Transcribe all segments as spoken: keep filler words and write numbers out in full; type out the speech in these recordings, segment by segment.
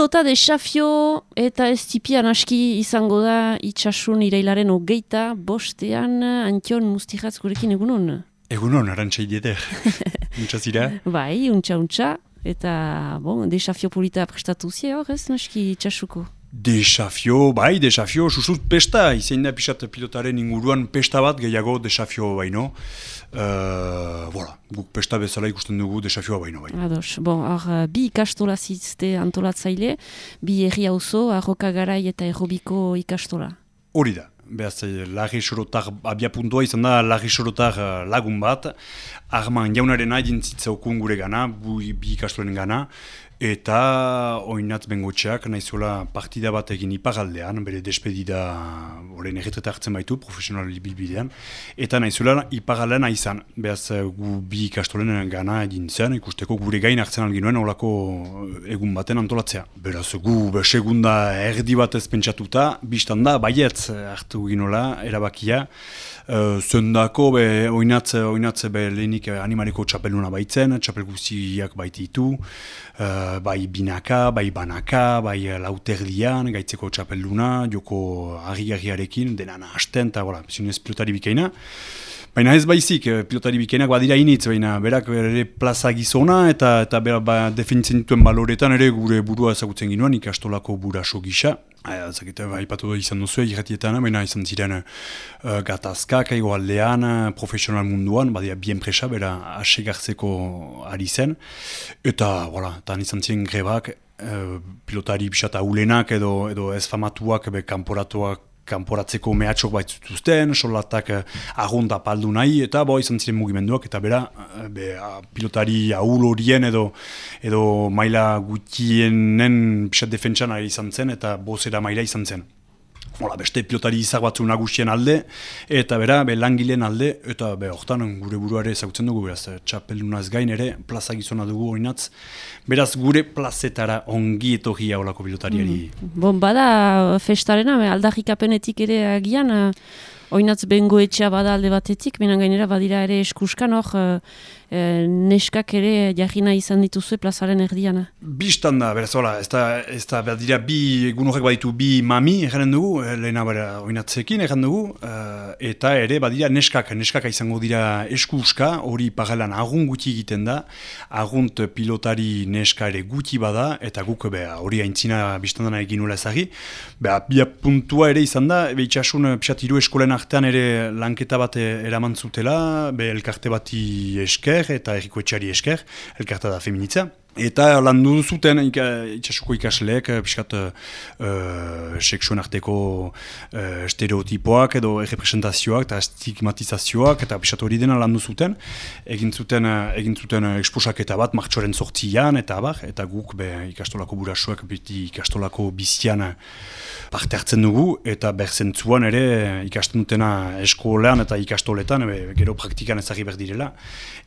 pilota desafio eta ez tipian aski izango da itxasun irailaren hogeita bostean Antion Mustiratz gurekin egunon. Egunon, arantxa idieter. Untsa zira? Bai, untsa, untsa. Eta, bon, desafio polita prestatu zi hor ez naski itxasuko? Desafio, bai, desafio, susut pesta, izain da pixat pilotaren inguruan pesta bat gehiago desafio baino. Uh, voilà, guk pesta bezala ikusten dugu desafioa baino bai. Ados, bon, hor, bi ikastola zizte antolatzaile, bi herri auzo, Arroka Garai eta Errobiko ikastola. Hori da, behaz, Larri Sorotar abia puntua izan da Larri Sorotar lagun bat, Arman jaunaren hain zitzaukun gure gana, bi ikastolen gana, eta oinatz bengotxeak nahizuela partida bat egin iparaldean, bere despedida horren erretreta hartzen baitu, profesional bilbidean, eta nahizuela iparaldean aizan, behaz gu bi ikastolen gana egin zen, ikusteko gure gain hartzen alginuen olako egun baten antolatzea. Beraz gu be, segunda erdi bat ez pentsatuta, biztan da, baietz hartu ginola, erabakia, Uh, zendako be, oinatz, oinatz be, lehenik animaleko txapeluna baitzen, txapel guztiak baititu, uh, bai binaka, bai banaka, bai lauterdian, gaitzeko txapeluna, joko harri-harriarekin, denana hasten, eta voilà, zinez pilotari bikaina. Baina ez baizik, pilotari bikainak badira initz, baina berak ere plaza gizona eta eta bera ba, definitzen dituen baloretan ere gure burua ezagutzen ginoen ikastolako buraso gisa. Zakete, aipatu izan duzu irratietan, baina izan ziren uh, gatazkak egoaldean, profesional munduan, badia bien presa, bera asegartzeko ari zen. Eta, voilà, tan izan ziren grebak, uh, pilotari bisata ulenak edo, edo ez famatuak, be, kanporatuak, kanporatzeko mehatxok baitzutuzten, solatak eh, arrunda paldu nahi, eta bo izan ziren mugimenduak, eta bera be, a, pilotari ahul horien edo, edo maila gutienen pixat defentsan ari izan zen, eta bozera maila izan zen. Hola, beste pilotari izak batzu nagusien alde, eta bera, be, langileen alde, eta be, hortan gure buruare ezagutzen dugu, beraz, txapeldunaz gain ere, plaza gizona dugu oinatz, beraz, gure plazetara ongi etorria olako pilotariari. Mm. Bon, bada festarena, aldarrikapenetik ere agian, uh, oinatz bengoetxea bada alde batetik, minan gainera badira ere eskuskan hor, uh, uh, neskak ere jarrina izan dituzue plazaren erdiana. Bistan da, beraz, hola, ez da, ez da, badira bi, egun horrek baditu bi mami, erranen dugu, lehena bera oinatzekin, erran dugu, uh, eta ere badira neskak, neskak izango dira eskuska, hori paralelan agun guti egiten da, agunt pilotari neska ere guti bada, eta guk hori aintzina bistan dana egin nula ezagi, beha, bia puntua ere izan da, be itxasun pixat hiru eskolen artean ere lanketa bat eraman zutela, be elkarte bati esker eta errikoetxari esker, elkarta da feminitza. Eta landu zuten ika, itxasuko ikasleek, piskat uh, seksuen arteko uh, stereotipoak edo errepresentazioak eta stigmatizazioak eta piskat hori dena landu zuten. Egin zuten, uh, egin zuten uh, eksposaketa bat martxoaren sortzian eta abar, eta guk be, ikastolako burasuak beti ikastolako bizian parte hartzen dugu, eta berzentzuan ere ikasten dutena eskolean eta ikastoletan, ebe, gero praktikan ezagri behar direla.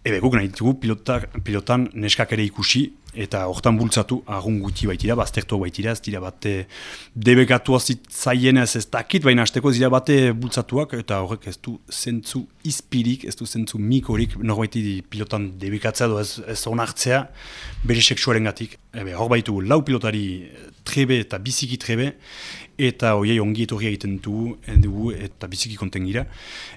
Ebe guk nahi ditugu pilotak, pilotan neskak ere ikusi, eta hortan bultzatu agun guti baitira, baztertu baitira, ez dira bate debekatua zitzaien ez ez dakit, baina hasteko ez dira bate bultzatuak, eta horrek ez du zentzu izpirik, ez du zentzu mikorik, norbaiti pilotan debekatzea edo ez, ez onartzea bere seksuaren gatik. Ebe hor baitu lau pilotari trebe eta biziki trebe, eta hoiei ongi etorria egiten dugu, dugu eta biziki konten gira.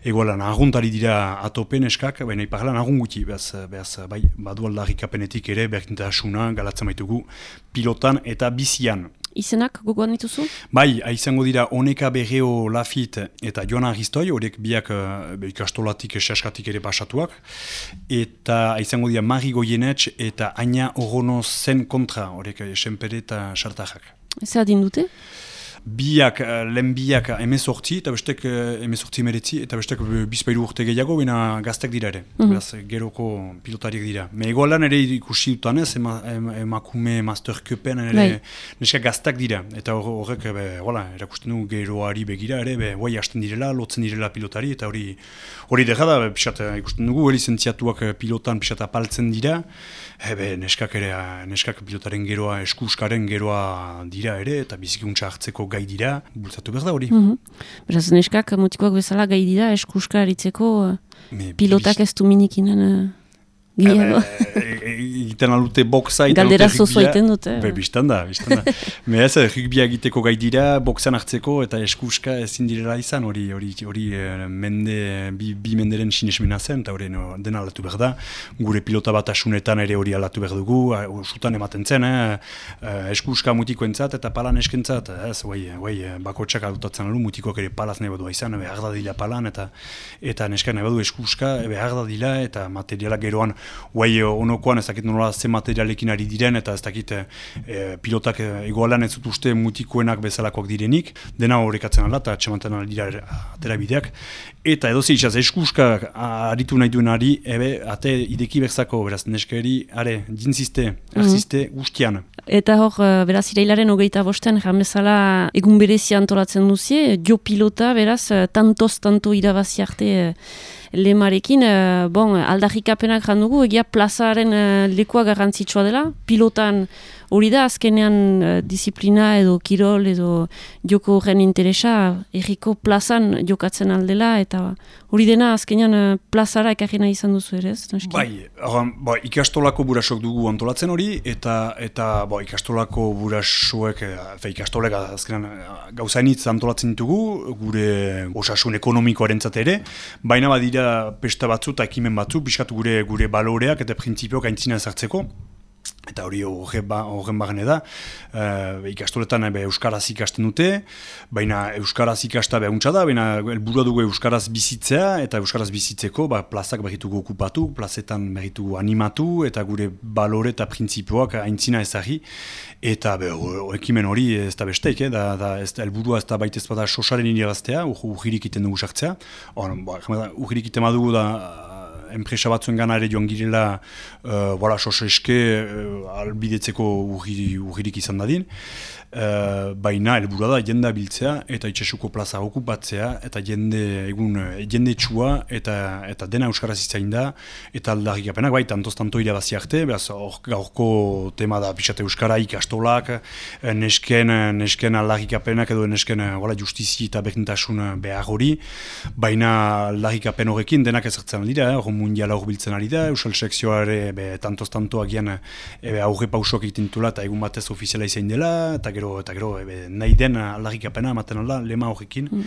Egoalan, arguntari dira atopen eskak, baina iparlan argun guti, behaz, behaz, bai, badu aldarrikapenetik ere, berkintasuna, galatzen baitugu, pilotan eta bizian. Izenak gogoan dituzu? Bai, izango dira Oneka Berreo Lafit eta Joana Aristoi, horiek biak uh, ikastolatik esaskatik ere pasatuak, eta izango dira Mari Goienetx eta Aina Orono zen kontra, horiek esenpere eta sartajak. Ez adin dute? Biak, lehen biak emezortzi, eta bestek emezortzi meretzi, eta bestek bizpairu urte gehiago, baina gaztek dira ere, mm -hmm. geroko pilotariak dira. Me egoalan ere ikusi dutanez, ema, emakume Master Cupen ere right. Neska gaztak dira, eta horrek, hola, erakusten du geroari begira ere, be, guai hasten direla, lotzen direla pilotari, eta hori hori dira da, pixat, ikusten dugu, lizentziatuak pilotan pixat apaltzen dira, ebe, neskak ere, neskak pilotaren geroa, eskuskaren geroa dira ere, eta bizikuntza hartzeko gai dira, bultzatu behar da hori. Mm -hmm. Beraz, neskak mutikoak bezala gai dira eskuska aritzeko pilotak ez du minikinen... Gehiago. Egiten alute boxa. Galdera zozo egiten dute. Be, biztan da, biztan da. Me ez, rugbia egiteko gai dira, boxan hartzeko eta eskuska ezin direla izan, hori hori hori mende, bi, bi menderen sinesmena zen, eta hori no, dena alatu behar da. Gure pilota bat asunetan ere hori alatu behar dugu, sutan ematen zen, eh? Eskuska mutikoentzat eta palan eskentzat, ez, guai, guai, bakotxak adutatzen alu, mutikoak ere palaz nahi badua izan, behar da dila palan, eta eta neskak nahi badu eskuska, behar da dila, eta materialak geroan guai onokoan ez dakit nola ze materialekin ari diren eta ez dakit e, pilotak egoalan ez dut uste mutikoenak bezalakoak direnik, dena horrekatzen ala eta txemantan aldira atera bideak. Eta edozi izaz eskuska aritu nahi duen ari, ebe, ate ideki berzako, beraz, neskeri, are, jintziste, arziste, mm. guztian. Eta hor, beraz, irailaren hogeita bostean, jamezala egun berezia antolatzen duzie, jo pilota, beraz, tantoz, tanto irabazi arte lemarekin, bon, aldarrikapenak jandugu, egia plazaren lekua garrantzitsua dela, pilotan hori da, azkenean uh, disiplina edo kirol edo joko horren interesa erriko plazan jokatzen aldela, eta hori dena azkenean uh, plazara ekarri nahi izan duzu ere, ez? Bai, organ, ba, ikastolako burasok dugu antolatzen hori, eta eta ba, ikastolako burasoek, fe, ikastolek azkenean gauzainitz antolatzen ditugu, gure osasun ekonomikoarentzat ere, baina badira pesta batzu eta ekimen batzu, pixkat gure gure baloreak eta printzipioak aintzina ezartzeko. Eta hori horren bagane da, e, ikastoletan be, euskaraz ikasten dute, baina euskaraz ikasta behuntza da, baina helburua dugu euskaraz bizitzea, eta euskaraz bizitzeko ba, plazak behitugu okupatu, plazetan behitugu animatu, eta gure balore eta printzipioak aintzina ezagri, eta be, o, ekimen hori ez da besteik, eh, da, da, ez da helburua ez da baita ez bada sosaren iniraztea, urgirik iten dugu sartzea, urgirik iten badugu da, enpresa batzuen gana ere joan girela uh, voilà, soseske uh, albidetzeko urgirik izan dadin. Uh, baina helburua da jendea biltzea eta itxasuko plaza okupatzea eta jende egun jende txua eta, eta dena euskaraz itzain da eta aldarrikapenak bai tantoz-tanto irabazi arte, beraz gaurko tema da pixate euskara ikastolak, nesken, nesken aldarrikapenak edo nesken voilà, justizi eta berdintasun behar hori, baina aldarrikapen horrekin denak ezartzen dira, hor eh, mundiala hor biltzen ari da, euskal sekzioa ere tantoz-tanto agian e, aurre pausok egiten dutela eta egun batez ofiziala izain dela, eta gero eta gero ebe, nahi den aldarrikapena ematen alda lema horrekin. Mm.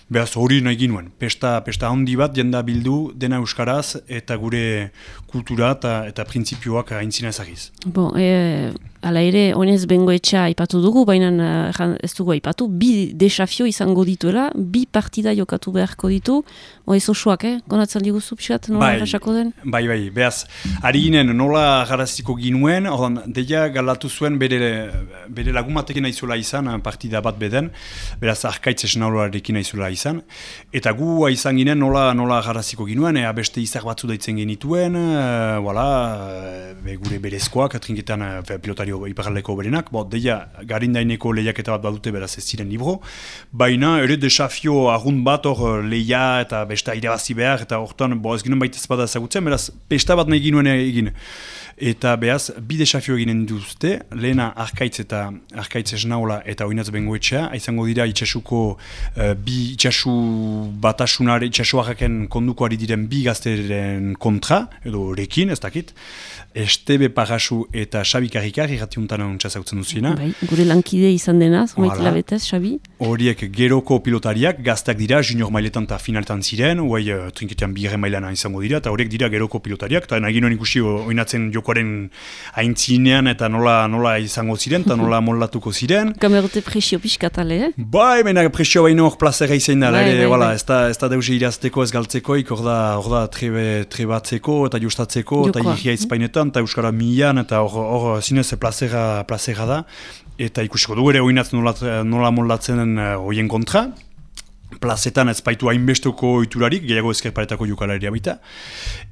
Beraz hori nahi ginuen. Pesta, pesta handi bat jenda bildu dena euskaraz eta gure kultura eta, eta printzipioak aintzina ezagiz. Bon, e, ala ere, honez bengoetxea aipatu dugu, baina ez dugu aipatu, bi desafio izango dituela, bi partida jokatu beharko ditu, o ez osoak, eh? Konatzen diguzu pixat, nola errasako den? Bai, bai, behaz, ari ginen nola garaziko ginuen, ordan, deia galatu zuen bere, bere lagumatekin aizuela izan, partida bat beden, beraz, arkaitz esnaularekin aizuela izan, eta gu izan ginen nola, nola garaziko ginuen, ea beste izar batzu daitzen genituen, e, voilà, be, gure berezkoak, trinketan pilotario iparraldeko berenak, bo, deia garindaineko lehiaketa bat badute beraz ez ziren libro, baina ere desafio arrunt bat hor lehia eta besta irabazi behar, eta hortan, bo, ez ginen baita ez bada ezagutzen, beraz, pesta bat nahi ginuen egin. Eta behaz, bi desafio eginen duzte, lehena arkaitz eta arkaitz esnaula eta oinatz bengoetxea, izango dira itxasuko uh, bi itxasu batasunare, itxasuarraken kondukoari diren bi gazteren kontra, edo rekin, ez dakit, Estebe Parasu eta Xabi Karrikar irratiuntan ontsa zautzen duzina. Bai, gure lankide izan denaz, maitila betez, Xabi. Horiek geroko pilotariak, gaztak dira, junior mailetan eta finaletan ziren, huai uh, trinketean bigre mailana izango dira, eta horiek dira geroko pilotariak, eta nahi ginoen ikusi oinatzen jokoaren aintzinean eta nola, nola izango ziren, eta nola mollatuko ziren. Kamerote presio pixkatale, eh? Bai, baina presio baino hor plazera izan da, bai, ere, bai, wala, bai. ez da, ez da deuze irazteko, ez galtzeko, hor da, hor da trebe, trebatzeko eta justatzeko, eta irria izpainetan, eta euskara milan, eta hor zinez plazera, plazera da, eta ikusiko dugu ere oinatz nola, nola mollatzen horien kontra. Plazetan ez baitu hainbesteko oiturarik, gehiago ezkerparetako jokalaria baita.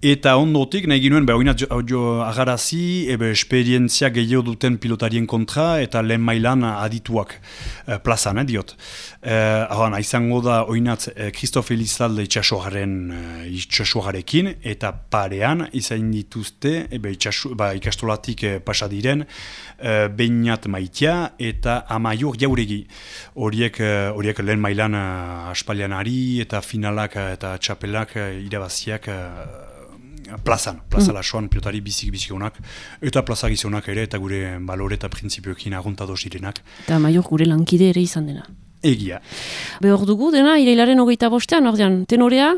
Eta ondotik, nahi ginuen, oinat agarazi, ebe esperientzia gehiago duten pilotarien kontra, eta lehen mailan adituak eh, plazan, eh, diot. Eh, Ahan, izango da oinat Christophe Elizalde itxasuaren eh, itxasuarekin, eta parean izan dituzte, ebe itxasu, ba, ikastolatik eh, pasadiren, eh, Beñat Maitia eta Amaiur Jauregi. Horiek, eh, horiek lehen mailan eh, aspalianari eta finalak eta txapelak irabaziak plazan, plaza mm. lasoan pilotari bizik bizikonak, eta plaza gizonak ere, eta gure balore eta printzipioekin aguntado zirenak. Eta maior gure lankide ere izan dena. Egia. Behor dugu dena, irailaren hogeita bostean, ordean, tenorea?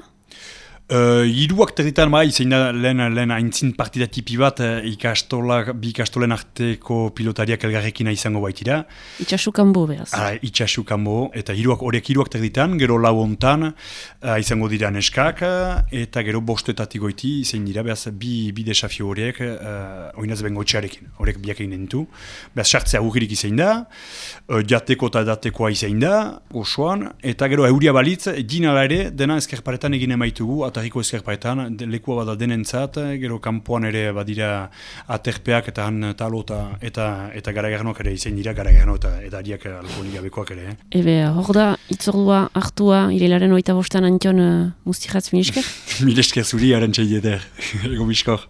Uh, Hiruak territan bai, zein da lehen, lehen aintzin partida tipi bat uh, ikastola, bi ikastolen arteko pilotariak elgarrekina izango baitira. Itxasu kanbo behaz. Ara, itxasu kanbo, eta hiruak horiek hiruak territan, gero lau hontan uh, izango dira neskak, uh, eta gero bostetatik goiti, zein dira, behaz, bi, bi desafio horiek, uh, oinaz bengo etxearekin, horiek biak egin dentu. Behaz, sartzea agugirik izan da, uh, jateko eta datekoa izan da, osoan, eta gero euria balitz, dinala ere, dena ezkerparetan egin emaitugu, atarriko ezkerparetan, lekua bada denentzat, gero kanpoan ere badira aterpeak eta han talo eta eta, eta garagarnoak ere izan dira, garagarno eta edariak alkoholik gabekoak ere. Eh? Ebe, hor da, itzordua hartua, irailaren oita bostan Antion uh, Mustiratz, mil esker? Mil esker zuri, arantxa ideder, ego biskor.